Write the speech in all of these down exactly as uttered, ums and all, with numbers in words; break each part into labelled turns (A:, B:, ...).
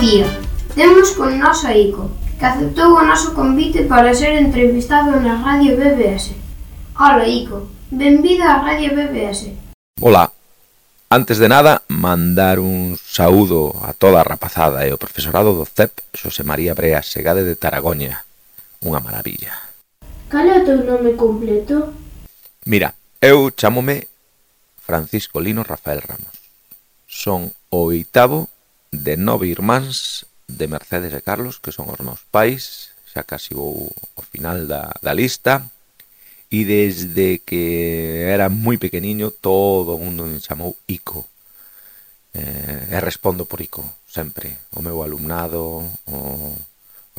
A: día. Temos con nós a Ico, que aceptou o noso convite para ser entrevistado na Radio B B S. Ola, Ico, benvida á Radio B B S.
B: Ola. Antes de nada, mandar un saúdo a toda a rapazada e o profesorado do C E P Xosé María Brea Segade de Taragoña. Unha maravilla.
A: Cal é o teu nome completo?
B: Mira, eu chámome Francisco Lino Rafael Ramos. Son o oitavo de nove irmáns de Mercedes e Carlos, que son os meus pais, xa casi vou ao final da, da lista, e desde que era moi pequeniño todo o mundo me chamou Ico. Eh, e respondo por Ico, sempre. O meu alumnado, o,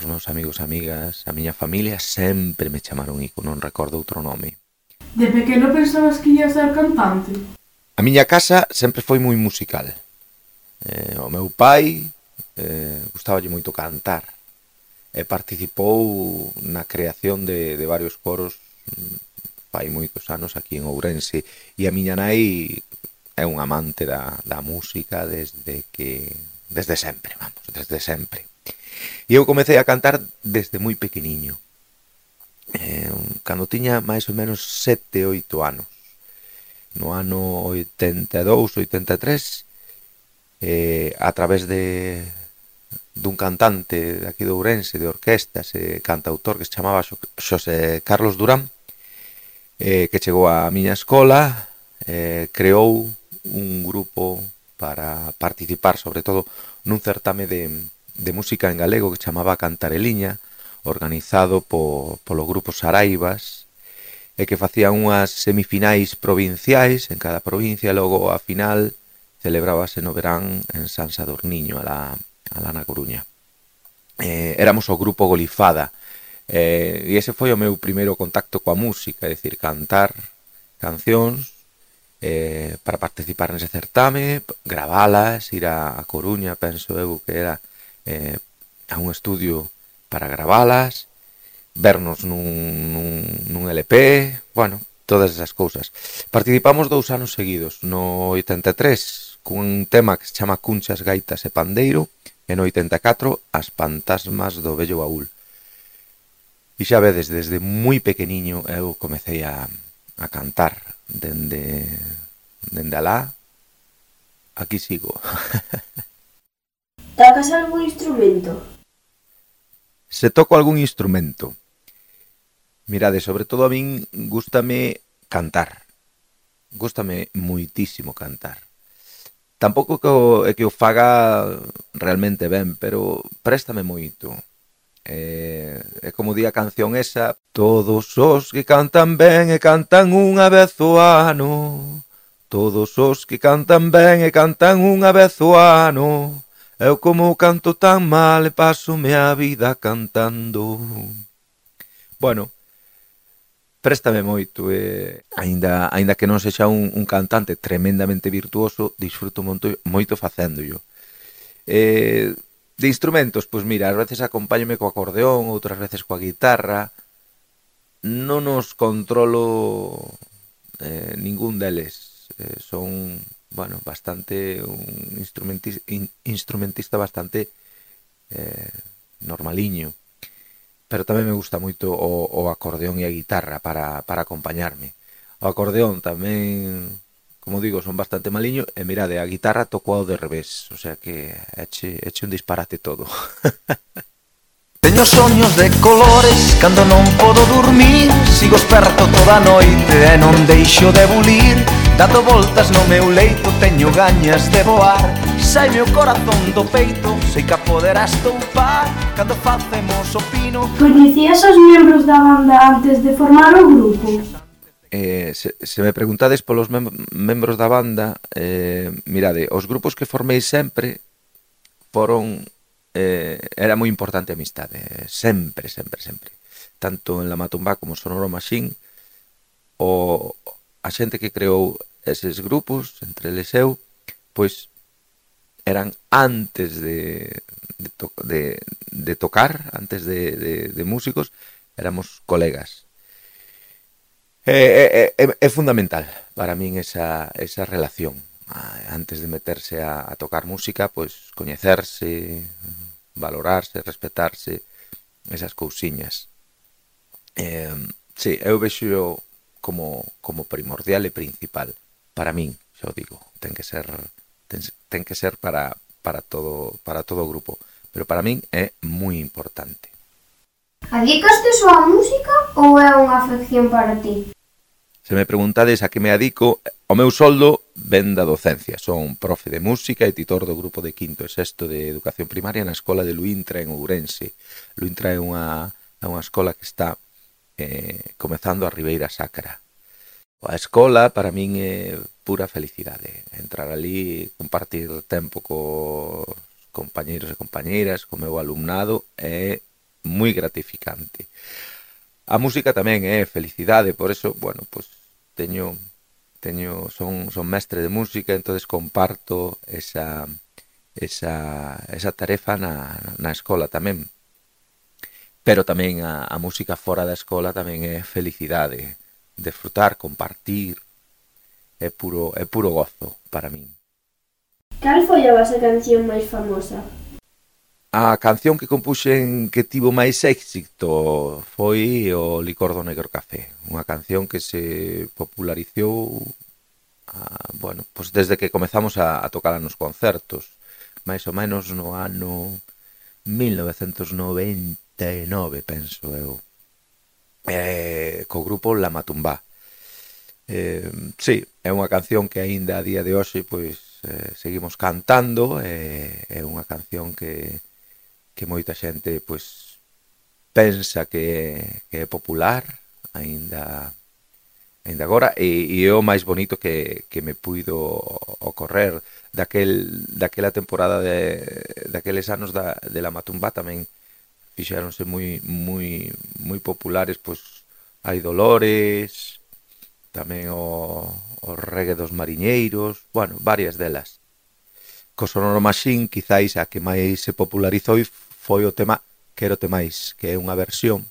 B: os meus amigos e amigas, a miña familia sempre me chamaron Ico, non recordo outro nome.
C: De pequeno pensabas que ia ser cantante?
B: A miña casa sempre foi moi musical. Eh, o meu pai eh, gustaballe moito cantar e participou na creación de, de varios coros fai moitos anos aquí en Ourense, e a miña nai é un amante da, da música desde que desde sempre, vamos, desde sempre. E eu comecei a cantar desde moi pequeniño. Eh, cando tiña máis ou menos sete, oito anos. No ano oitenta e dous, oitenta e tres, eh, a través de dun cantante de aquí de Ourense, de orquestas e cantautor que se chamaba Xosé Carlos Durán, eh, que chegou á miña escola, eh, creou un grupo para participar, sobre todo, nun certame de, de música en galego que chamaba Cantareliña, organizado po, polo grupo Saraivas, e que facían unhas semifinais provinciais en cada provincia, e logo a final celebrábase no verán en San Sadurniño, alá, alá na Coruña. Eh, éramos o grupo Golifada, eh, e ese foi o meu primeiro contacto coa música, é dicir, cantar cancións eh, para participar nese certame, gravalas, ir a, a Coruña, penso eu que era eh, a un estudio para gravalas, vernos nun, nun, nun L P, bueno, todas esas cousas. Participamos dous anos seguidos, no oitenta e tres, cun tema que se chama Cunchas, Gaitas e Pandeiro, e no oitenta e catro, As Fantasmas do Vello Baúl. E xa vedes, desde moi pequeniño eu comecei a, a cantar, dende, dende alá, aquí sigo.
A: Tocas algún instrumento?
B: Se toco algún instrumento. Mirade, sobre todo a min gústame cantar. Gústame moitísimo cantar. Tampouco que o, é que o faga realmente ben, pero préstame moito. É, é como di a canción esa: todos os que cantan ben e cantan unha vez o ano, todos os que cantan ben e cantan unha vez o ano, eu como canto tan mal e pasome a vida cantando. Bueno, préstame moito, e aínda, aínda que non sexa un, un cantante tremendamente virtuoso, disfruto moito, moito facéndollo. Eh, de instrumentos, pois mira, ás veces acompáñome co acordeón, outras veces coa guitarra. Non os controlo eh, ningún deles. Eh, son, bueno, bastante un instrumentista, in, instrumentista bastante eh, normaliño. Pero tamén me gusta moito o, o acordeón e a guitarra para, para acompañarme. O acordeón tamén, como digo, son bastante maliño, e mirade, a guitarra toco ao de revés, o sea que eche, eche un disparate todo.
D: Teño soños de colores cando non podo dormir, sigo esperto toda a noite e non deixo de bulir, dando voltas no meu leito teño gañas de voar, saime o corazón do peito, sei que a poderás toupar, cando facemos o pino.
C: Coñecías os membros da banda antes de formar o grupo?
B: Eh, se, se me preguntades polos mem membros da banda, eh, mirade, os grupos que formei sempre foron... Eh, era moi importante a amistade, sempre, sempre, sempre. Tanto en La Matumbá como Sonoro Machine, o a xente que creou eses grupos, entre eles eu, pois eran antes de, de, to de, de tocar, antes de, de, de músicos, éramos colegas. É, é, é, é fundamental para min esa, esa relación. antes de meterse a, a tocar música, pois coñecerse, valorarse, respetarse, esas cousiñas. Eh, sí, eu vexo como, como primordial e principal. Para min, xa o digo, ten que ser ten, ten que ser para, para, todo, para todo o grupo. Pero para min é moi importante.
A: Adicaste só a música ou é unha afección para ti?
B: Se me preguntades a que me adico, o meu soldo ven da docencia. Son profe de música e titor do grupo de quinto e sexto de educación primaria na escola de Luintra en Ourense. Luintra é unha, é unha escola que está eh, comezando a Ribeira Sacra. A escola para min é pura felicidade. Entrar ali, compartir tempo cos compañeiros e compañeiras, co meu alumnado, é moi gratificante. A música tamén é felicidade, por eso, bueno, pues teño teño son son mestre de música, entonces comparto esa esa esa tarefa na na escola tamén. Pero tamén a, a música fora da escola tamén é felicidade, disfrutar, compartir, é puro é puro gozo para min.
C: Cal foi a vosa canción máis famosa?
B: A canción que compuxen que tivo máis éxito foi o Licor do Negro Café, unha canción que se popularizou ah, bueno, pues desde que comezamos a, a tocar nos concertos, máis ou menos no ano mil novecentos noventa e nove, penso eu, eh, co grupo La Matumbá. Eh, sí, é unha canción que aínda a día de hoxe pois eh, seguimos cantando, eh, é unha canción que, que moita xente pois pensa que, que é popular aínda aínda agora, e, e é o máis bonito que, que me puido ocorrer daquel, daquela temporada de, daqueles anos da, de La Matumbá. Tamén fixéronse moi moi moi populares pois Hai Dolores, tamén o, o Reggae dos Mariñeiros, bueno, varias delas. Co Sonoro Machine, quizáis a que máis se popularizou foi o tema Quero Te Máis, que é unha versión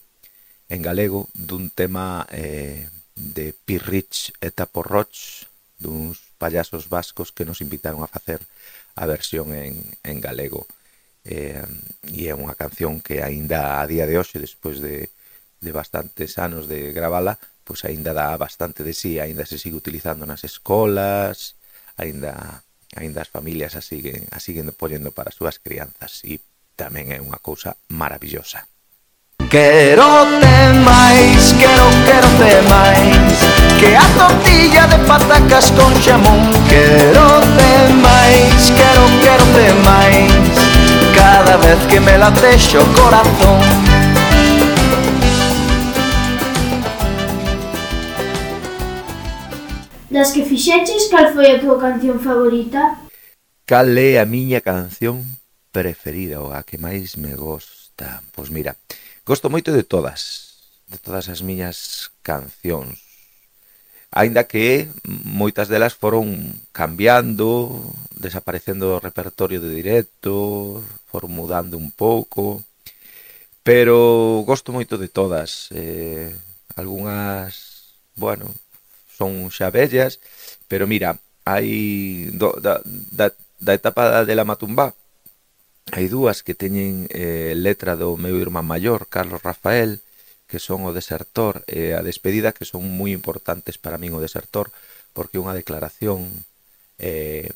B: en galego dun tema eh, de Pirrich e Taporroch, duns payasos vascos que nos invitaron a facer a versión en, en galego. Eh, e é unha canción que aínda a día de hoxe, despois de, de bastantes anos de gravala, pois aínda dá bastante de sí, aínda se sigue utilizando nas escolas, aínda aínda as familias a siguen, a siguen poñendo para as súas crianzas, e tamén é unha cousa maravillosa.
D: Quero te máis, quero, quero te máis, que a tortilla de patacas con xamón. Quero te máis, quero, quero te máis, cada vez que me latexe o corazón.
C: Das que fixeches, cal foi a tua canción favorita?
B: Cal é a miña canción preferida ou a que máis me gosta? Pois mira, gosto moito de todas, de todas as miñas cancións. Aínda que moitas delas foron cambiando, desaparecendo do repertorio de directo, foron mudando un pouco, pero gosto moito de todas. Eh, algunhas, bueno, son xa vellas, pero mira, hai do, da, da, da etapa de La Matumbá, hai dúas que teñen eh, letra do meu irmán maior, Carlos Rafael, que son o Desertor e a Despedida, que son moi importantes para min o Desertor, porque é unha declaración eh,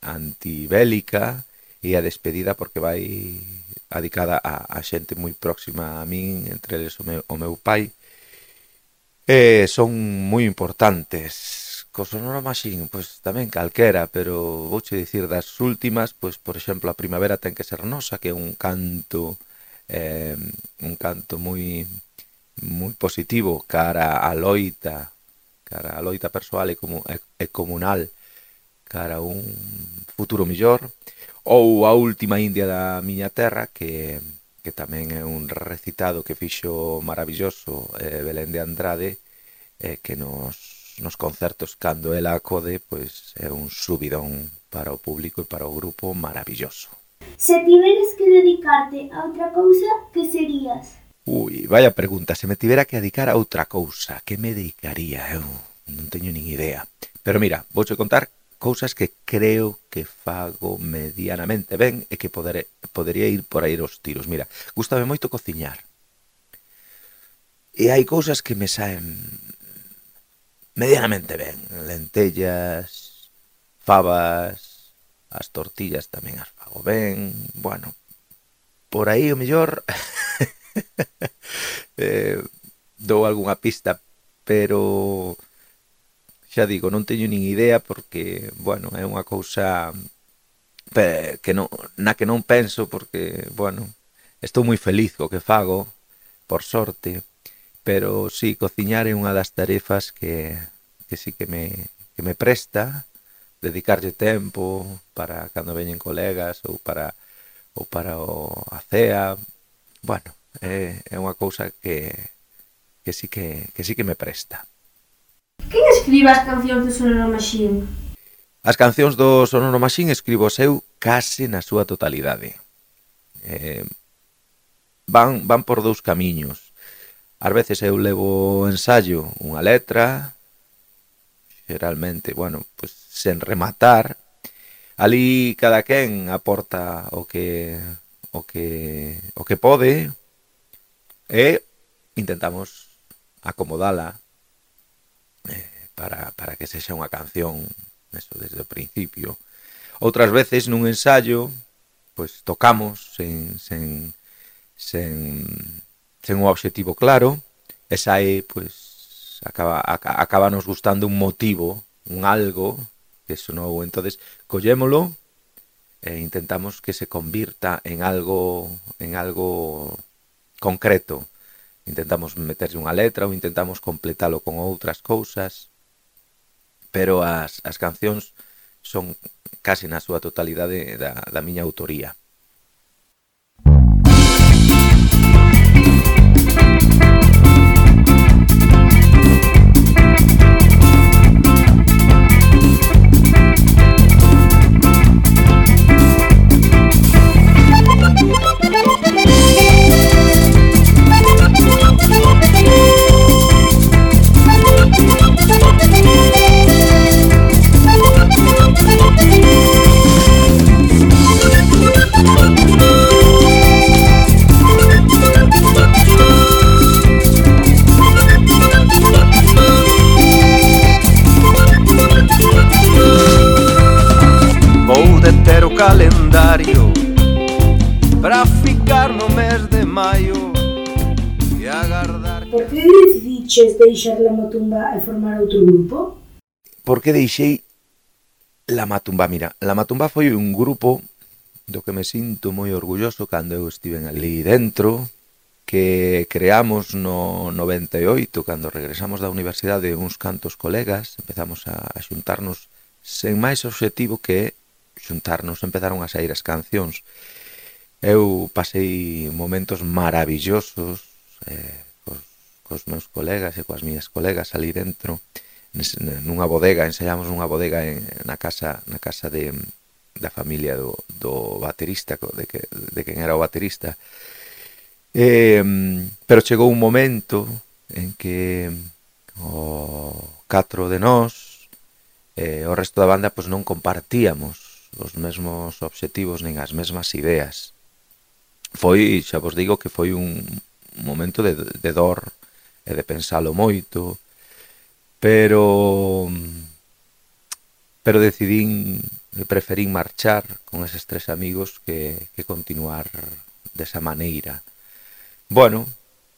B: antibélica, e a Despedida porque vai adicada a, a xente moi próxima a min, entre eles o meu, o meu pai. Eh, son moi importantes. Co Sonoro Machine, pois tamén calquera, pero vouche dicir das últimas, pois por exemplo, A Primavera ten que ser nosa, que é un canto eh, un canto moi moi positivo cara a loita, cara a loita persoal e, como, e, e comunal, cara a un futuro mellor. Ou A Última India da miña terra, que que tamén é un recitado que fixo maravilloso eh, Belén de Andrade, eh, que nos, nos concertos cando ela acode, pois é un subidón para o público e para o grupo maravilloso.
C: Se tiveres que dedicarte a outra cousa, que serías?
B: Ui, vaya pregunta, se me tivera que dedicar a outra cousa, que me dedicaría? Eu non teño nin idea. Pero mira, vouche contar cousas que creo que fago medianamente ben e que poder, podería ir por aí os tiros. Mira, gústame moito cociñar. E hai cousas que me saen medianamente ben. Lentellas, fabas, as tortillas tamén as fago ben. Bueno, por aí o mellor eh, dou algunha pista, pero xa digo, non teño nin idea porque, bueno, é unha cousa que non, na que non penso porque, bueno, estou moi feliz co que fago, por sorte, pero sí, cociñar é unha das tarefas que, que sí que me, que me presta, dedicarlle tempo para cando veñen colegas ou para, ou para o, a cea. Bueno, é, é unha cousa que, que, sí que, que sí que me presta.
A: Quen escribe as cancións do Sonoro Machine?
B: As cancións do Sonoro Machine escribo eu case na súa totalidade. Eh, van, van por dous camiños. Ás veces eu levo ensayo unha letra, xeralmente, bueno, pues, sen rematar. Ali cada quen aporta o que o que o que pode e intentamos acomodala eh, para, para que sexa unha canción eso desde o principio. Outras veces nun ensayo pois tocamos sen sen sen sen un obxectivo claro e sae pois acaba acaba nos gustando un motivo, un algo que sonou, entonces collémolo e intentamos que se convirta en algo en algo concreto. Intentamos meterlle unha letra ou intentamos completalo con outras cousas, pero as, as cancións son casi na súa totalidade da, da miña autoría.
D: Calendario para ficar no mes de maio e agardar.
E: Por que decidiches deixar La Matumba e formar outro grupo?
B: Por que deixei La Matumba? Mira, La Matumba foi un grupo do que me sinto moi orgulloso cando eu estiven ali dentro, que creamos no noventa e oito, cando regresamos da universidade uns cantos colegas, empezamos a, a xuntarnos sen máis obxectivo que xuntarnos, empezaron a sair as cancións. Eu pasei momentos maravillosos eh, cos, cos meus colegas e coas miñas colegas ali dentro, nunha bodega, ensaiamos nunha bodega en, na casa na casa de, da familia do, do baterista, de, que, de quen era o baterista. Eh, pero chegou un momento en que o catro de nós e eh, o resto da banda pois non compartíamos os mesmos obxectivos nin as mesmas ideas. Foi, xa vos digo que foi un momento de, de dor e de pensalo moito, pero pero decidín e preferín marchar con eses tres amigos que, que continuar desa maneira. Bueno,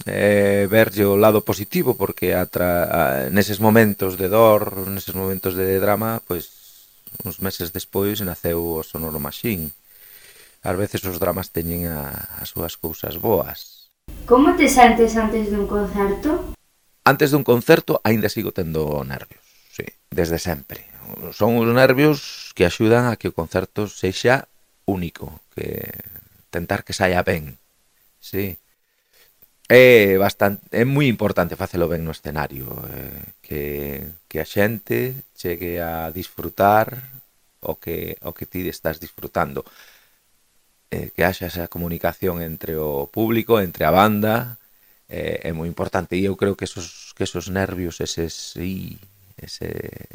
B: eh, verlle o lado positivo, porque atra, a, neses momentos de dor, neses momentos de drama, pois uns meses despois naceu o Sonoro Machine. Ás veces os dramas teñen a, as súas cousas boas.
C: Como te sentes antes dun concerto?
B: Antes dun concerto aínda sigo tendo nervios, sí, desde sempre. Son os nervios que axudan a que o concerto sexa único, que tentar que saia ben, sí. É bastante, é moi importante facelo ben no escenario, eh, que, que a xente chegue a disfrutar o que, o que ti estás disfrutando, eh, que haxa esa comunicación entre o público, entre a banda, eh, é moi importante, e eu creo que esos, que esos nervios, eses, sí, ese,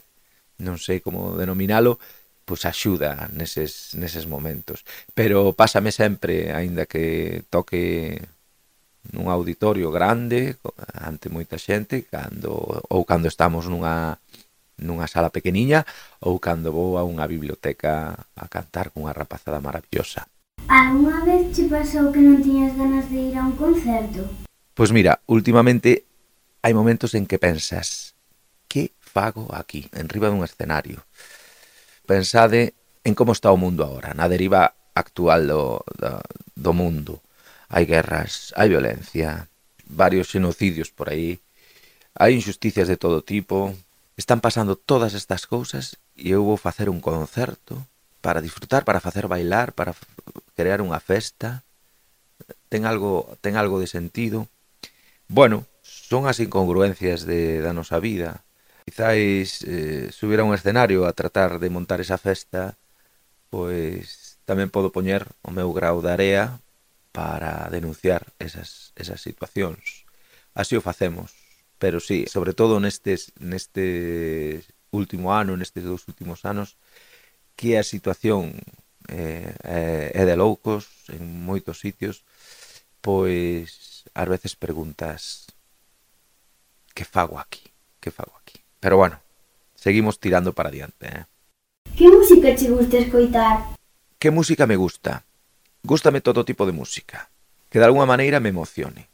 B: non sei como denominalo, pois axuda neses, neses momentos. Pero pásame sempre, aínda que toque nun auditorio grande, ante moita xente, cando ou cando estamos nunha nunha sala pequeniña, ou cando vou a unha biblioteca a cantar cunha rapazada maravillosa.
C: Alguna vez che pasou que non tiñas ganas de ir a un concerto?
B: Pois mira, últimamente hai momentos en que pensas, que fago aquí, enriba dun escenario? Pensade en como está o mundo agora, na deriva actual do, do, do mundo. Hai guerras, hai violencia, varios xenocidios por aí, hai injusticias de todo tipo, están pasando todas estas cousas e eu vou facer un concerto para disfrutar, para facer bailar, para crear unha festa. Ten algo, ten algo de sentido. Bueno, son as incongruencias de, da nosa vida. Quizáis eh, subir a un escenario a tratar de montar esa festa, pois tamén podo poñer o meu grau de area para denunciar esas, esas situacións. Así o facemos. Pero sí, sobre todo nestes, neste último ano, nestes dous últimos anos, que a situación eh, é de loucos en moitos sitios, pois ás veces preguntas, que fago aquí? Que fago aquí? Pero bueno, seguimos tirando para adiante, eh?
C: Que música che gusta escoitar?
B: Que música me gusta? Gústame todo tipo de música, que de alguna maneira me emocione.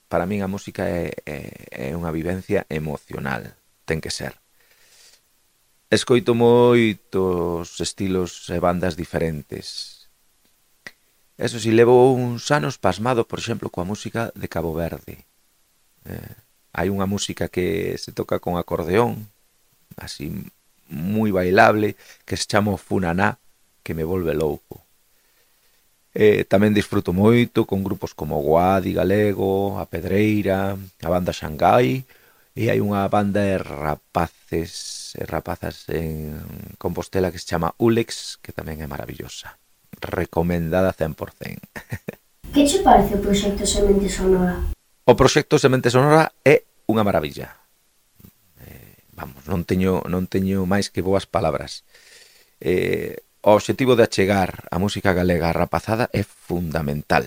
B: Para min a música é, é, é unha vivencia emocional, ten que ser. Escoito moitos estilos e bandas diferentes. Eso si, levo uns anos pasmado, por exemplo, coa música de Cabo Verde. Eh, hai unha música que se toca con acordeón, así moi bailable, que se chama Funaná, que me volve louco. Eh, tamén disfruto moito con grupos como Guadi Galego, A Pedreira, a banda Xangai, e hai unha banda de rapaces e rapazas en Compostela que se chama Ulex, que tamén é maravillosa. Recomendada cen por cen.
C: Que che parece o proxecto Semente Sonora?
B: O proxecto Semente Sonora é unha maravilla. Eh, vamos, non teño, non teño máis que boas palabras. Eh, o obxectivo de achegar a música galega á rapazada é fundamental.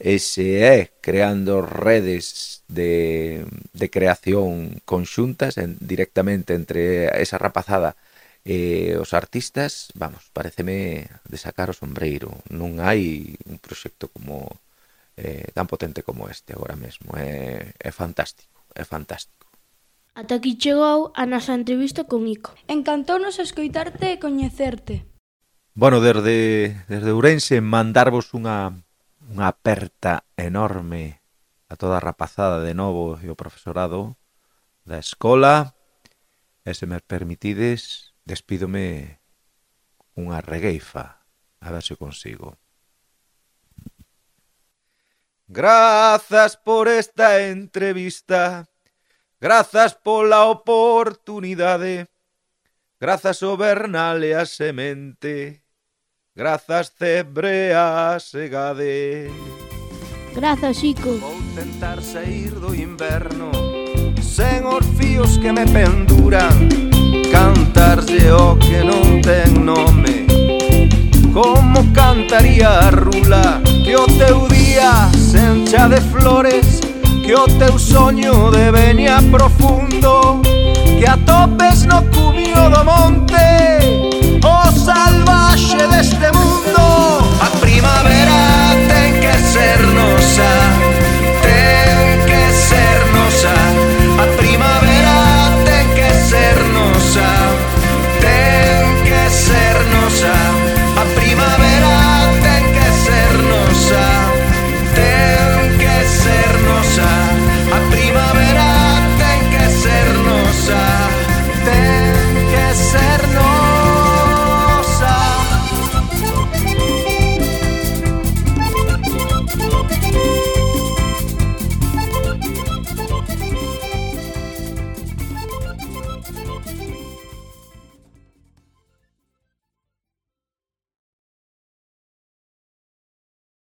B: Ese é creando redes de, de creación conxuntas en, directamente entre esa rapazada e os artistas. Vamos, pareceme de sacar o sombreiro. Non hai un proxecto como eh, tan potente como este agora mesmo. É, é fantástico, é fantástico.
F: Ata aquí chegou a nosa entrevista con Ico.
G: Encantounos escoitarte e coñecerte.
B: Bueno, desde, desde Ourense mandarvos unha, unha aperta enorme a toda a rapazada de novo e o profesorado da escola. E se me permitides, despídome unha regueifa, a ver se consigo. Grazas por esta entrevista, grazas pola oportunidade, grazas o Bernal e a semente, grazas Cebre a segade.
F: Grazas, Ico.
D: Vou tentar sair do inverno sen os fíos que me penduran, cantarlle o que non ten nome, como cantaría a rula, que o teu día se encha de flores, que o teu soño de veña profundo, que atopes no cumio do monte